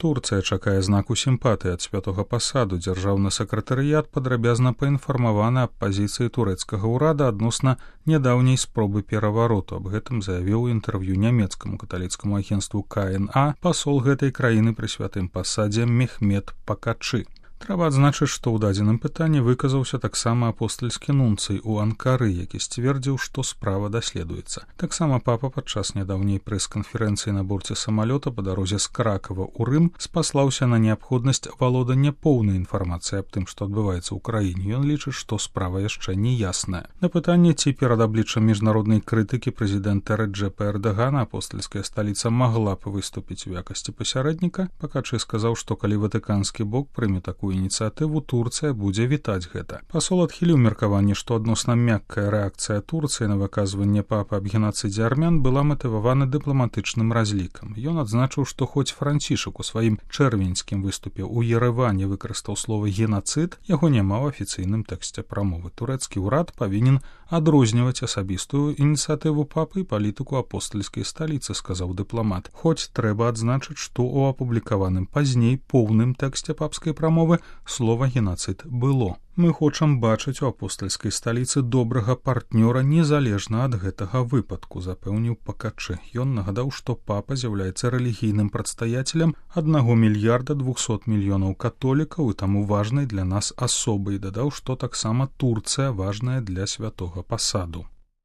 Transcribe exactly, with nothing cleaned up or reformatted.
Турцыя чакае знаку сімпатыі ад святога пасаду. Дзяржаўны сакратарыят падрабязна паінфармаваны аб пазіцыі турэцкага ўрада адносна нядаўняй спробы перавароту. Аб гэтым заявіў у інтэрв'ю нямецкаму каталіцкаму агенству ка эн а пасол гэтай краіны пры святым пасадзе Мехмед Пакачы. Трэба адзначыць, што ў дадзеным пытанні выказаўся таксама апостальскі нунцый у Анкары, які сцвердзіў, што справа даследуецца. Таксама папа падчас нядаўняй прэс-канферэнцыі на борце самалёта па дарозе з Кракава ў Рым спаслаўся на неабходнасць валодання поўнай інфармацыі аб тым, што адбываецца ў краіне. Ён лічыць, што справа яшчэ не ясная. На пытанне, ці перад абліччам міжнароднай крытыкі прэзідэнта Рэджэпа Эрдагана апостальская сталіца магла б выступіць у якасці пасярэдніка, Пакачы сказаў, што калі ватыканскі бок прыме такую ініцыятыву, Турцыя будзе вітаць гэта. Пасол адхіліў меркаванне, што адносна мяккая рэакцыя Турцыі на выказванне папы аб генацыдзе армян была матывавана дыпламатычным разлікам. Ён адзначыў, што хоць Францішак у сваім чэрвеньскім выступе ў Ерэване выкарыстаў слова «генацыд», яго няма ў афіцыйным тэксце прамовы. Турэцкі ўрад павінен адрозніваць асабістую ініцыятыву папы і палітыку апостальскай сталіцы, сказаў дыпламат. Хоць трэба адзначыць, што ў апублікаваным пазней поўным тэксце папскай прамовы слова «генацыд» было. Мы хочам бачыць у апостальскай сталіцы добрага партнёра незалежна ад гэтага выпадку, запэўніў Пакачы. Ён нагадаў, што папа з'яўляецца рэлігійным прадстаяцелем аднаго мільярда двухсот мільёнаў католікаў і таму важнай для нас асобай. Дадаў, што таксама Турцыя важная для святога пасаду.